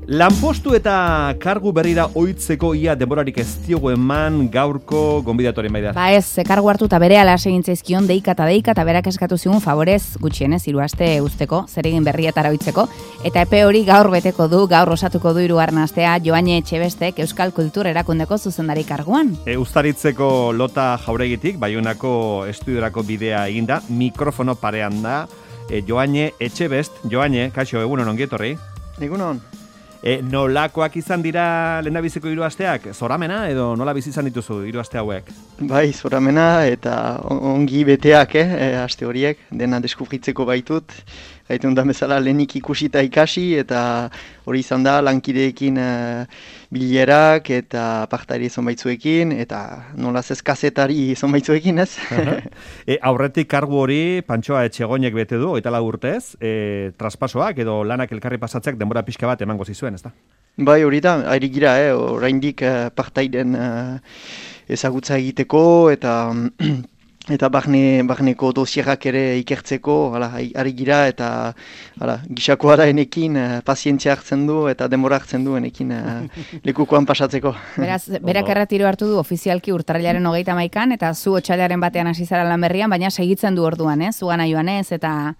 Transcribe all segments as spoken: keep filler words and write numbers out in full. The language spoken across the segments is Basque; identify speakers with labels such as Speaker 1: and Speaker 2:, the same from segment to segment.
Speaker 1: Lanpostu eta kargu berrira ohitzeko ia denborarik ez diogu eman gaurko gonbidatuaren baida.
Speaker 2: Ba ez, kargu hartu eta bere ala segintzaizkion deika eta deika eta berak eskatu zigun favorez gutxienez hiru aste usteko, zer egin berrietara ohitzeko, eta epe hori gaur beteko du, gaur osatuko du hirugarren astea Joane Etxebestek Euskal Kultur Erakundeko zuzendari karguan.
Speaker 1: E, Uztaritzeko Lota Jauregitik Baionako estudiorako bidea eginda, mikrofono parean da e, Joane Etxebest. Joane, kaixo, egunon ongi etorri.
Speaker 3: Egunon.
Speaker 1: E, nolakoak izan dira lehendabiziko hiru asteak? Zoramena edo nola bizi izan dituzu hiru aste hauek?
Speaker 3: Bai, zoramena eta ongi beteak, eh, aste horiek, dena deskubritzeko baitut. Gaitu da bezala lehenik ikusita ikasi eta hori izan da lankideekin uh, bilerak eta partari zonbaitzuekin eta nolaz ez kazetari zonbaitzuekin, ez?
Speaker 1: e, aurretik kargu hori Pantxoa Etxegoinek bete du, hogeita lau urtez, e, traspasoak edo lanak elkarri pasatzeak denbora pixka bat emango zizuen, ezta?
Speaker 3: Bai, hori da, ari gira, eh, oraindik uh, partairen uh, ezagutza egiteko eta... Eta barne, barneko dosierak ere ikertzeko, hala, ari gira eta hala, gisakoa da enekin, uh, pazientzia hartzen du eta denbora hartzen du enekin uh, lekukoan pasatzeko.
Speaker 2: Beraz, berak erretiro hartu du ofizialki urtarrilaren hogeita hamaikan eta zu otsailaren batean hasi zara lan berrian, baina segitzen du orduan, eh? Zugana joanez eta...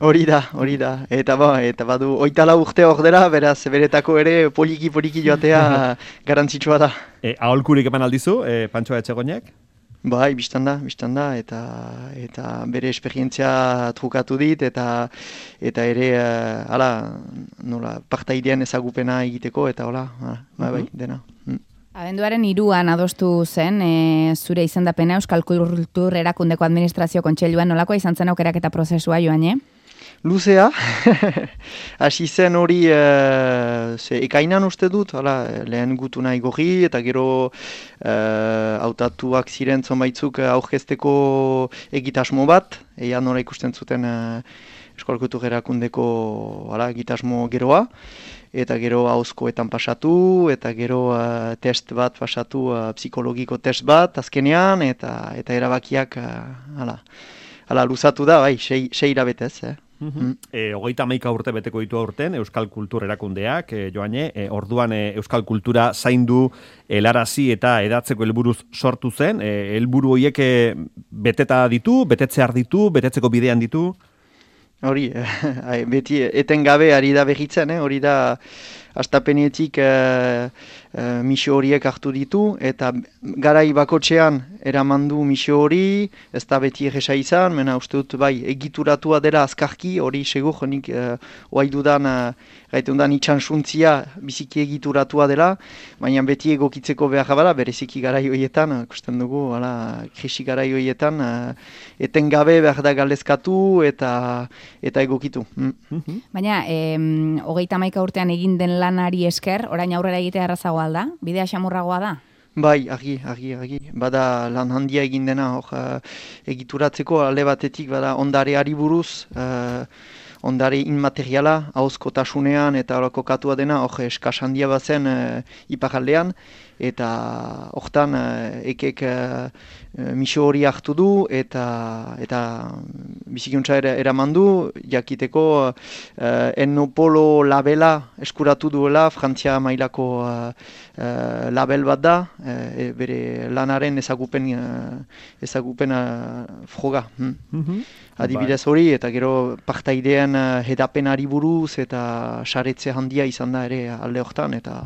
Speaker 3: Hori da, hori da. Eta ba, eta badu hogeita lau urte hor dela, beraz, beretako ere poliki-poliki joatea garantzitsua da.
Speaker 1: E, aholkurik eman aldizu, e, Pantxoa Etxegoinek?
Speaker 3: Bai, biztan da, biztan da, eta, eta bere esperientzia trukatu dit, eta eta ere, uh, hala, nola, partaidean ezagupena egiteko, eta hola, hala, bai, bai, dena. Mm.
Speaker 2: Abenduaren hiruan adostu zen, e, zure izendapena Euskal Kultur Erakundeko Administrazio Kontseiluan nolakoa izan zen aukeraketa prozesua, Joane?
Speaker 3: Luzea, hasi zen hori uh, ze ekainan uste dut, hala, lehen gutu nahi gorri, eta gero uh, hautatuak ziren zonbaitzuk aurkezteko egitasmo bat, ea nola ikusten zuten uh, Euskal Kultur Erakundeko hala, egitasmo geroa, eta gero ahozkoetan pasatu, eta gero uh, test bat pasatu, uh, psikologiko test bat, azkenean, eta eta erabakiak uh, hala, hala, luzatu da, bai, sei, sei irabetez, eh?
Speaker 1: Mm. E, hogeita hamaika urte beteko ditu aurten Euskal Kultur Erakundeak, e, Joane, e, orduan e, Euskal Kultura zaindu, helarazi eta edatzeko helburuz sortu zen, e, helburu horiek e, beteta ditu, betetzear ditu, betetzeko bidean ditu?
Speaker 3: Hori, eh, beti etengabe ari da behitzen, eh? Hori da astapenetik eh, eh, misio horiek hartu ditu, eta garai bakotxean eramandu misio hori, ez da beti egesa izan, mena uste dut bai egituratua dela azkarki, hori segur, nik eh, oai dudan, eh, gaiten dudan itxansuntzia biziki egituratua dela, baina beti egokitzeko behar bada, bereziki garai horietan, ikusten dugu, hala, krisi garai horietan, eh, etengabe behar da galdezkatu eta eta egokitu. Mm.
Speaker 2: Baina, eh, hogeita hamaika urtean egin den lanari esker, orain aurrera egitea errazagoa da? Bidea xamurragoa da?
Speaker 3: Bai, argi, argi, argi. Bada lan handia egin dena, hor, uh, egituratzeko alde batetik, bada ondareari buruz, uh, ondare inmateriala, ahozkotasunean eta kokatua dena, hor, eskas handia bazen uh, iparaldean, eta hortan uh, ekek uh, misio hori hartu du, eta eta bizikuntza eraman du, jakiteko uh, Ennopolo labela eskuratu duela, Frantzia mailako uh, uh, label bat da, uh, bere lanaren ezagupen, uh, ezagupen uh, froga. Hmm. Mm-hmm. Adibidez hori, eta gero partaidean uh, hedapenari buruz, eta saretze handia izan da ere alde hortan, eta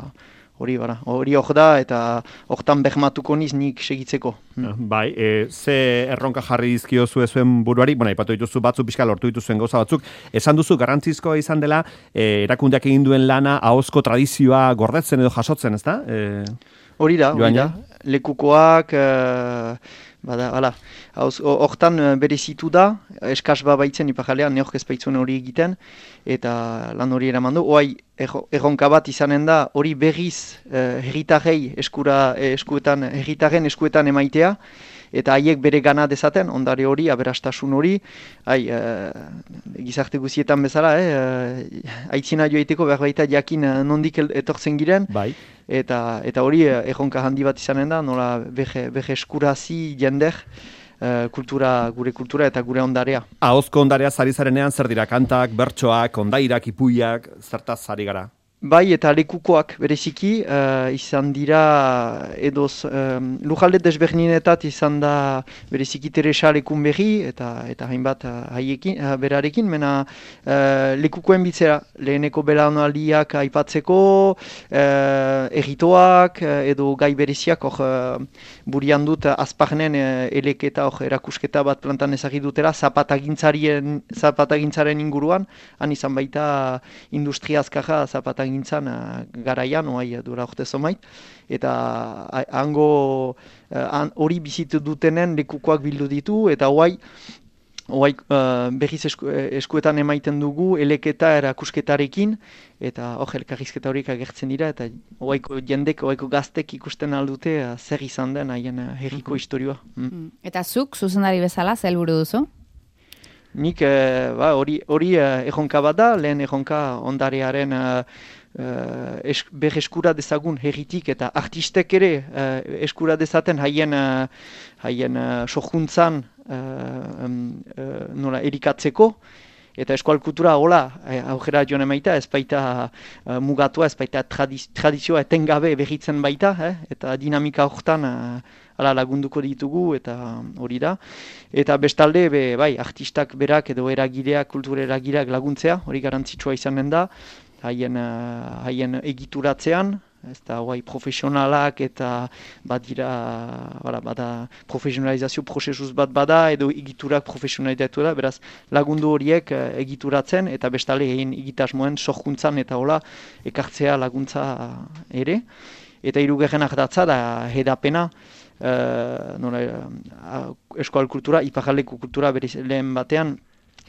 Speaker 3: hori bara, hori hor da, eta hortan behmatuko niz nik segitzeko. Hmm.
Speaker 1: Bai, e, ze erronka jarri dizkio zuen buruari, bueno, ipatu dituzu batzu pixka lortu dituzuen gauza batzuk, esan duzu garrantzizkoa izan dela, e, erakundeak egin duen lana, ahozko tradizioa gordetzen edo jasotzen, ezta? E,
Speaker 3: hori da, hori da, lekukoak... Uh, Bada, hala, hortan berezitu da, eskas baitzen ipajalean, neok ez baitzuen hori egiten, eta lan hori eraman du. Oai, erronka bat izanen da, hori berriz eh, herritarrei eskura, eskuetan, herritarren eskuetan emaitea, eta haiek bere gana dezaten, ondare hori, aberastasun hori, hai, uh, gizarte guzietan bezala, eh, aitzina joaiteko behar baita jakin nondik etortzen giren,
Speaker 1: bai.
Speaker 3: eta eta hori erronka handi bat izanen da, nola behe, behe eskurazi jender, uh, kultura, gure kultura eta gure ondarea.
Speaker 1: Ahozko ondarea zari zarenean zer dira kantak, bertsoak, ondairak, ipuiak, zertaz zari gara?
Speaker 3: Bai, eta lekukoak bereziki, uh, izan dira, edoz, um, lujalde desberdinetat izan da bereziki Teresa Lekunberri, eta eta hainbat uh, haiekin, uh, berarekin, mena uh, lekukoen bitzera, leheneko belaunaldiak aipatzeko, uh, erritoak, uh, edo gai bereziak, hor, uh, burian dut, uh, azparnen uh, eleketa, hor, erakusketa bat plantan ezagir dutela, zapatagintzaren, zapatagintzaren inguruan, han izan baita industria azkarra zapatagintzaren gintzan uh, garaian, oai dura orte zomait, eta uh, hango hori uh, bizitu dutenen lekukoak bildu ditu, eta oai, oai uh, berriz esku, eskuetan emaiten dugu eleketa erakusketarekin, eta hor elkarrizketa horiek agertzen dira, eta oaiko jendek, oaiko gaztek ikusten aldute uh, zer izan den haien uh, herriko mm-hmm. historioa. Mm.
Speaker 2: Eta zuk, zuzendari bezala, zer helburu duzu?
Speaker 3: Nik hori uh, uh, erronka bat da, lehen erronka ondarearen uh, uh, es, berreskura dezagun herritik eta artistek ere uh, eskura dezaten haien uh, haien uh, sohuntzan uh, um, uh, nola erikatzeko. Eta eskual kultura hola, aurrera joan emaita, ez baita uh, mugatua, ez baita tradiz, tradizioa etengabe berritzen baita, eh? Eta dinamika horretan uh, ala lagunduko ditugu, eta hori da. Eta bestalde, be, bai, artistak berak edo eragileak, kultura eragileak laguntzea, hori garantzitsua izanen da, haien, uh, haien egituratzean, ez da, guai, profesionalak eta badira, bada, bada profesionalizazio prozesuz bat bada, edo egiturak profesionalizatu da, beraz lagundu horiek uh, egituratzen, eta bestale egin egitasmoen sorkuntzan eta hola ekartzea laguntza ere. Eta hirugarrenak datza da hedapena, uh, nola, uh, eskual kultura, iparraldeko kultura berez lehen batean,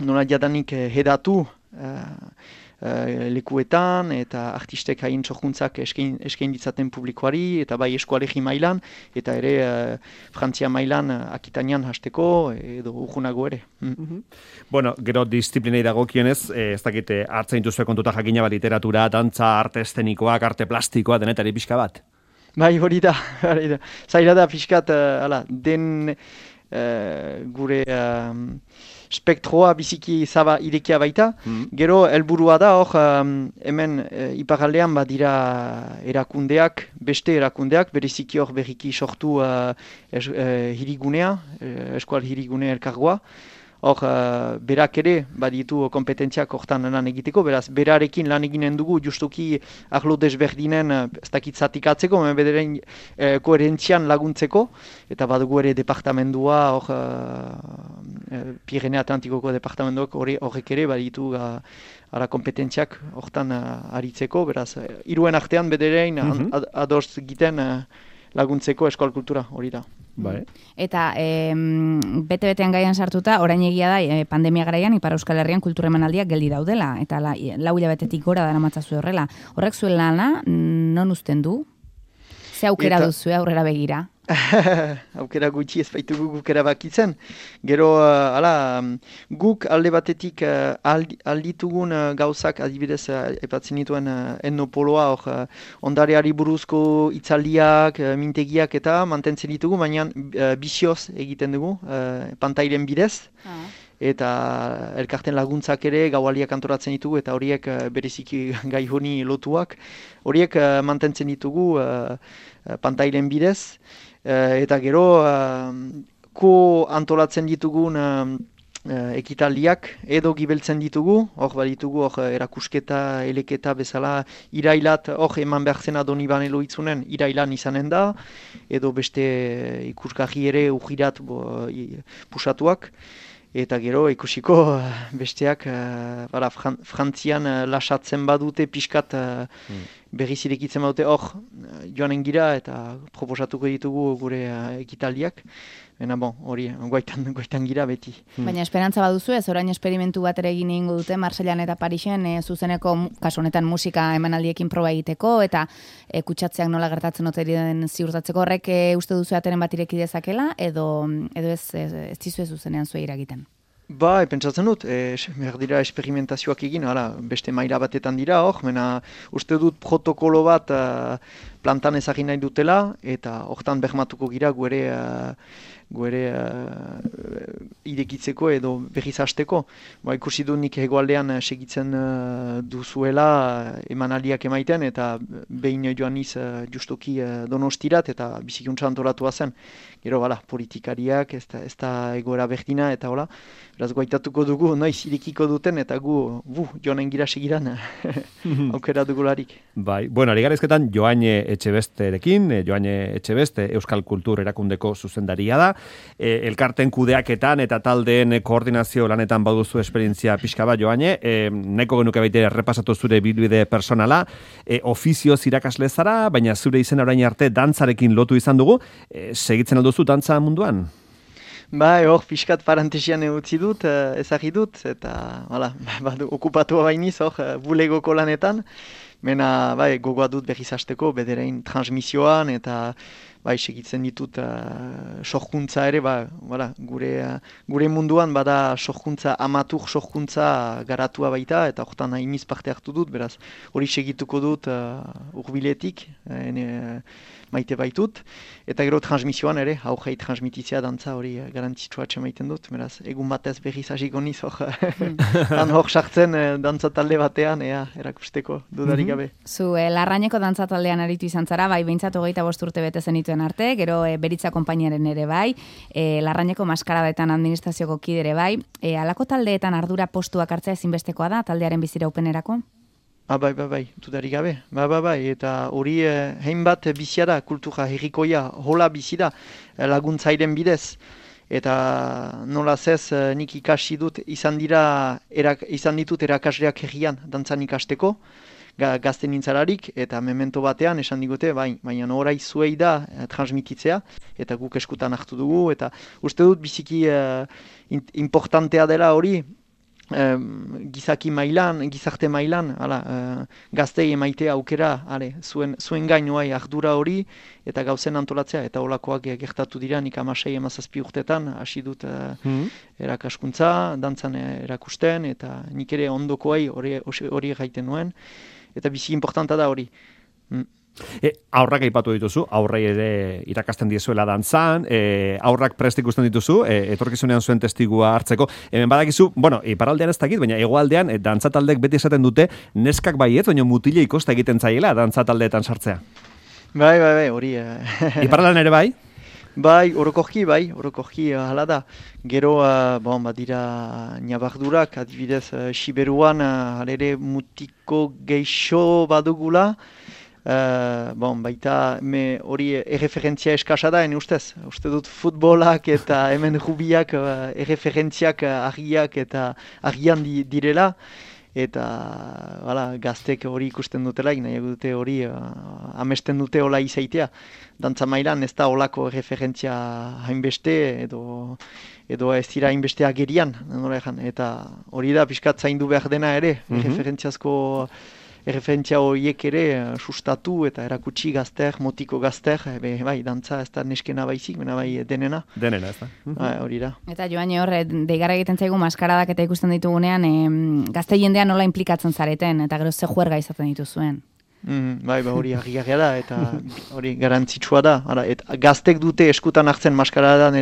Speaker 3: nola jadanik uh, hedatu, uh, Uh, lekuetan eta artistek hain txokuntzak eskain, eskain ditzaten publikoari eta bai eskualegi mailan eta ere uh, Frantzia mailan uh, Akitanian hasteko edo urgunago ere. Mm.
Speaker 1: Mm-hmm. Bueno, gero disiplinei dagokionez, eh, ez dakite hartzen dituzue kontuta jakina bat literatura, dantza, arte eszenikoak, arte plastikoa, denetari pixka bat?
Speaker 3: Bai, hori da, hori da. Zaila da pixkat, uh, ala, den uh, gure... Uh, spektroa biziki zaba irekia baita. Mm. Gero helburua da hor um, hemen e, iparaldean badira erakundeak, beste erakundeak, bereziki hor berriki sortu uh, es, uh, hirigunea, uh, eskual hirigune elkargoa. Hor, uh, berak ere, baditu kompetentziak hortan lan egiteko, beraz, berarekin lan eginen dugu, justuki arlo desberdinen, ez dakit zatikatzeko, bederen eh, koherentzian laguntzeko, eta badugu ere departamendua, hor, uh, Pirene Atlantikoko departamentuak horrek ere, baditu uh, ara kompetentziak hortan uh, aritzeko, beraz, hiruen artean bederen mm-hmm. ad, adoz egiten uh, laguntzeko eskual kultura hori da.
Speaker 1: Bai.
Speaker 2: Eta e, bete-betean gaian sartuta, orain egia da, e, pandemia garaian, Ipar Euskal Herrian kultura emanaldiak geldi daudela, eta la, lau hilabetetik gora dara matzazu horrela. Horrek zuen lana, non uzten du? Ze aukera eta... duzu aurrera begira?
Speaker 3: Aukera gutxi ez baitugu guk erabakitzen. Gero, uh, ala, guk alde batetik uh, aldi, alditugun uh, gauzak adibidez uh, epatzen dituen uh, etnopoloa, hor, uh, ondareari buruzko itzaldiak, uh, mintegiak eta mantentzen ditugu, baina uh, bizioz egiten dugu, uh, pantailen bidez. Ah. Eta elkarten laguntzak ere gaualiak antoratzen ditugu eta horiek uh, bereziki gai honi lotuak. Horiek uh, mantentzen ditugu uh, pantailen bidez. Uh, eta gero, uh, ko antolatzen ditugun uh, uh, ekitaldiak edo gibeltzen ditugu, hor baditugu hor erakusketa, eleketa bezala irailat, hor eman behar zena Doniban Eloitzunen irailan izanen da, edo beste ikusgarri ere ujirat bo, i, pusatuak. Eta gero ikusiko besteak uh, bara, fran, frantzian uh, lasatzen badute pixkat uh, mm. berriz irekitzen badute hor uh, joanen gira eta proposatuko ditugu gure uh, ekitaldiak. Baina bon, hori, goitan, goitan gira beti.
Speaker 2: Baina esperantza baduzu ez, orain esperimentu bat ere egin egingo dute Marseillan eta Parisen e, zuzeneko, kasu honetan musika emanaldiekin proba egiteko eta e, kutsatzeak nola gertatzen ote den ziurtatzeko horrek e, uste duzu ateren bat ireki dezakela edo, edo ez, ez, ez dizue zuzenean zuen iragiten?
Speaker 3: Ba, pentsatzen dut, e, behar dira esperimentazioak egin, hala, beste maila batetan dira hor, mena uste dut protokolo bat uh, plantan ezagin nahi dutela, eta hortan bermatuko gira guere, uh, guere uh, irekitzeko edo berriz hasteko. Ba, ikusi du nik hegoaldean segitzen uh, duzuela uh, emanaldiak emaiten, eta behin joan niz uh, justuki uh, donostirat, eta bizikuntza antolatua zen. Gero, bala, politikariak, ez da, ez da egoera berdina, eta hola, beraz goaitatuko dugu, noiz irekiko duten, eta gu, bu, joanen gira segiran, aukera dugularik.
Speaker 1: Bai, bueno, ari garizketan Joane Etxebesterekin, Joane Etxebeste Euskal Kultur erakundeko zuzendaria da, e, elkarten kudeaketan eta taldeen koordinazio lanetan baduzu esperientzia pixka bat, Joane, e, neko genuke baita errepasatu zure bilbide personala, e, ofizioz irakasle zara, baina zure izena orain arte dantzarekin lotu izan dugu, e, segitzen alduzu dantza munduan?
Speaker 3: Bai, hor, pixkat parantesian utzi dut, ezagri dut, eta, hala, badu, okupatua bainiz, hor, bulegoko lanetan, mena, bai, gogoa dut berriz hasteko, bederein transmisioan, eta, bai, segitzen ditut uh, sorkuntza ere, ba, bala, gure, uh, gure munduan, bada sorkuntza, amatur sorkuntza garatua baita, eta hortan hainiz parte hartu dut, beraz, hori segituko dut uh, urbiletik, ene, uh, maite baitut, eta gero transmisioan ere, aurrei transmititzea dantza hori garantzitsua atxemaiten dut, beraz, egun batez berriz hasiko niz, hor, han hor sartzen dantza talde batean, ea, erakusteko, dudarik gabe.
Speaker 2: Zu, eh, Larrañeko dantza taldean aritu izan zara, bai, behintzat hogeita bost urte bete zenituen arte, gero eh, Beritza konpainiaren ere bai, eh, Larrañeko maskaradaetan administrazioko kidere bai, eh, alako taldeetan ardura postuak hartzea ezinbestekoa da, taldearen biziraupenerako?
Speaker 3: Ah, bai, bai, bai, dudarik gabe. Bai, bai, bai, eta hori eh, hainbat bizia da, kultura herrikoia, hola bizi da, laguntzairen bidez. Eta nola zez, eh, nik ikasi dut, izan dira, erak, izan ditut erakasleak herrian dantzan ikasteko, ga, gazte nintzararik, eta memento batean esan digute, bai, baina orai zuei da eh, transmititzea, eta guk eskutan hartu dugu, eta uste dut biziki eh, importantea dela hori, Um, gizaki mailan, gizarte mailan, ala, uh, gaztei emaitea aukera, ale, zuen, zuen gainoai ardura hori, eta gauzen antolatzea, eta holakoak gertatu dira, nik amasei emazazpi urtetan, hasi dut uh, mm-hmm. erakaskuntza, dantzan erakusten, eta nik ere ondokoai hori, hori gaiten nuen, eta bizi importanta da hori. Mm.
Speaker 1: E, aurrak aipatu dituzu, aurrei ere irakasten diezuela dantzan, e, aurrak prest ikusten dituzu, e, etorkizunean zuen testigua hartzeko. Hemen badakizu, bueno, iparraldean ez dakit, baina hegoaldean e, dantzataldek beti esaten dute, neskak baiet, baina mutile ikosta egiten zaiela dantzataldeetan sartzea.
Speaker 3: Bai, bai, bai, hori.
Speaker 1: Iparraldean ere bai?
Speaker 3: Bai, orokorki, bai, orokorki hala da. Gero, uh, bon, badira nabardurak, adibidez, uh, Siberuan, uh, halere mutiko geixo badugula, Uh, bon, baita me hori erreferentzia eskasa da, ene ustez. Uste dut futbolak eta hemen rubiak uh, erreferentziak uh, argiak eta argian di, direla. Eta bala, gaztek hori ikusten dutela, nahi dute hori uh, amesten dute hola izaitea. Dantza mailan ez da holako erreferentzia hainbeste edo edo ez dira hainbeste agerian. Eta hori da pixkat zaindu behar dena ere, mm-hmm. erreferentziazko erreferentzia horiek ere sustatu eta erakutsi gazter, motiko gazter, be, bai, dantza ez da neskena baizik, bena bai denena.
Speaker 1: Denena, ez da.
Speaker 3: Bai, hori da.
Speaker 2: Eta Joane hor, deigarra egiten zaigu maskaradak eta ikusten ditugunean, em, gazte jendean nola implikatzen zareten, eta gero ze juerga izaten dituzuen.
Speaker 3: Mm, bai, ba, hori argigarria da, eta hori garantzitsua da. Ara, et, gaztek dute eskutan hartzen maskaradan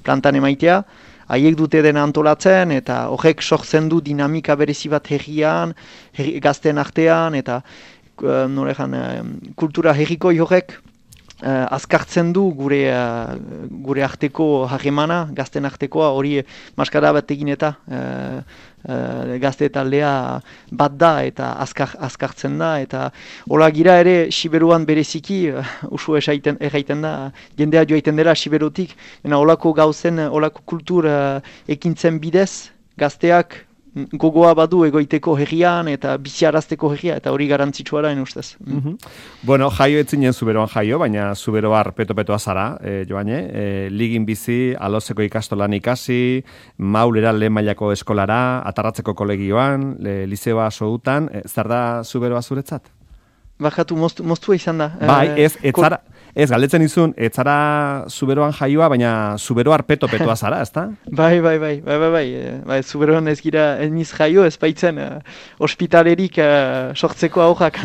Speaker 3: plantan emaitea, haiek dute dena antolatzen, eta horrek sortzen du dinamika berezi bat herrian, herri, gazten artean, eta uh, norejan, uh, kultura herriko horrek uh, azkartzen du gure, uh, gure arteko harremana, gazten artekoa, hori maskara bat egin eta uh, uh, gazte taldea bat da, eta azkar, azkartzen da, eta hola gira ere Siberuan bereziki, uh, usu esaiten, erraiten da, jendea joaiten dela Siberutik, ena holako gauzen, holako kultur uh, ekintzen bidez, gazteak gogoa badu egoiteko herrian eta biziarazteko herria, eta hori garantzitsua da, ustez.
Speaker 1: Mm-hmm. Bueno, jaio etzinen Zuberoan jaio, baina Zuberoar peto-petoa zara, eh, Joane, eh, ligin bizi, alozeko ikastolan ikasi, maulera lehen mailako eskolara, atarratzeko kolegioan, le, lizeoa soutan, eh, zer da Zuberoa zuretzat?
Speaker 3: Bakatu, moztua izan da.
Speaker 1: Bai, ez, ez zara, Ez, galdetzen izun, ez zara Zuberoan jaioa, baina Zubero arpeto-petoa zara, ezta?
Speaker 3: Bai, bai, bai, bai, bai, bai, bai Zuberoan ez gira, ez niz jaio, ez baitzen uh, ospitalerik uh, sortzeko aurrak.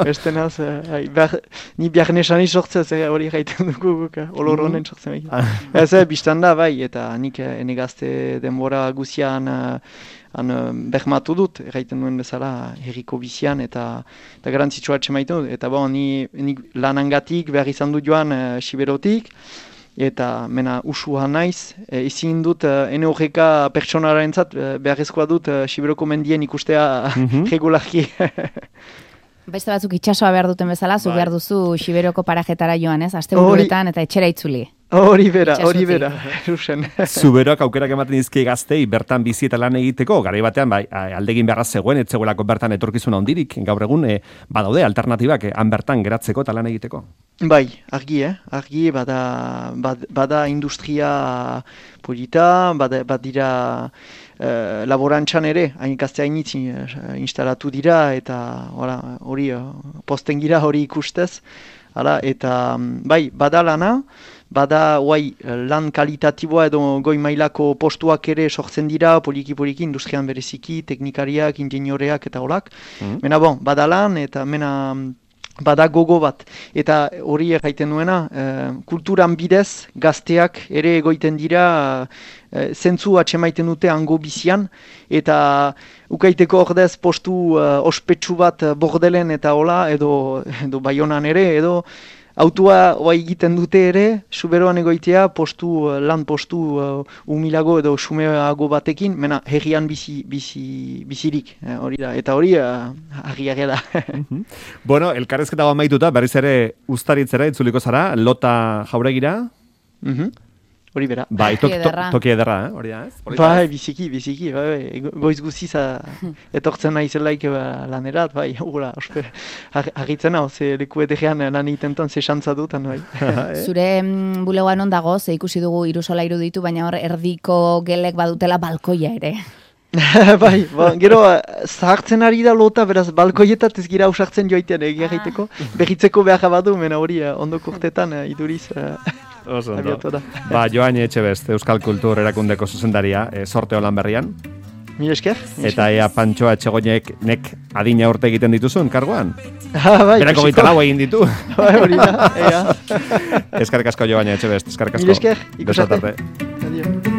Speaker 3: Beste naz, uh, behar, ni biarnesani sortzez, eh, hori gaiten dugu guk, uh, olor honen sortzen behar. Ez, eh, biztan da, bai, eta nik uh, ene gazte denbora guzian uh, han uh, behmatu dut, erraiten duen bezala herriko bizian, eta, eta garantzitsua atxemaitu dut. Eta bon, ni, ni lanangatik behar izan dut joan uh, Siberotik, eta mena usua naiz, e, ezin dut uh, ene horreka pertsonarentzat uh, beharrezkoa dut uh, Siberoko mendien ikustea mm-hmm. regularki.
Speaker 2: Beste batzuk itsasoa behar duten bezala, zu behar duzu Siberoko parajetara joan, ez? Asteburuetan eta etxera itzuli.
Speaker 3: Hori bera, hori bera.
Speaker 1: Zuberoak aukerak ematen dizkie gaztei bertan bizi eta lan egiteko, garai batean bai, aldegin beharra zegoen, etzegoelako bertan etorkizuna handirik, gaur egun e, badaude alternatibak e, han bertan geratzeko eta lan egiteko.
Speaker 3: Bai, argi, eh? Argi, bada, bad, bada industria polita, bada, badira uh, laborantzan ere, hain gazte hainitzi uh, instalatu dira, eta hori uh, posten gira hori ikustez, hala, eta bai, bada lana, bada guai, lan kalitatiboa edo goi mailako postuak ere sortzen dira, poliki-poliki, industrian bereziki, teknikariak, ingenioreak eta holak. Mm. Mena bon, bada lan eta mena bada gogo bat. Eta hori erraiten nuena, eh, kulturan bidez, gazteak ere egoiten dira, eh, zentzu atxemaiten dute hango bizian, eta ukaiteko ordez postu eh, ospetsu bat bordelen eta hola, edo, edo Baionan ere, edo autua oa egiten dute ere, Zuberoan egoitea, postu, lan postu uh, umilago edo xumeago batekin, mena herrian bizi, bizi, bizirik, eh, hori da, eta hori uh, argi da.
Speaker 1: Bueno, elkarrezketa amaituta, berriz ere uztaritzera itzuliko zara, Lota Jauregira?
Speaker 3: Mhm. Hori bera.
Speaker 1: Bai, toki ederra, to, ederra eh? Hori da, ez?
Speaker 3: Bai, biziki, biziki, bai, goiz guziz etortzen naizelaik lanerat, bai, hura, ospe, argitzen hau, ze leku etegean lan itentan ze xantza dutan, bai.
Speaker 2: Zure mm, bulegoan ondago, ze ikusi dugu irusola iruditu, baina hor erdiko gelek badutela balkoia ere.
Speaker 3: Bai, ba, gero zahartzen ari da Lota, beraz balkoietat ez gira ausartzen joitean egia ah. egiteko, behitzeko behar badu, mena hori ondoko urtetan iduriz...
Speaker 1: Oso ondo. Ba, Joane Etxebest, Euskal Kultur Erakundeko zuzendaria, e, sorte holan berrian.
Speaker 3: Mil esker.
Speaker 1: Eta ea Pantxoa Etxegoinek nek adina urte egiten dituzun, karguan?
Speaker 3: Ah, bai,
Speaker 1: berako gaita lau egin ditu.
Speaker 3: Bai, hori da, ea.
Speaker 1: Eskarrik asko Joane Etxebest, eskarrik asko.
Speaker 3: Mil esker,
Speaker 1: ikusarte.
Speaker 3: Adio.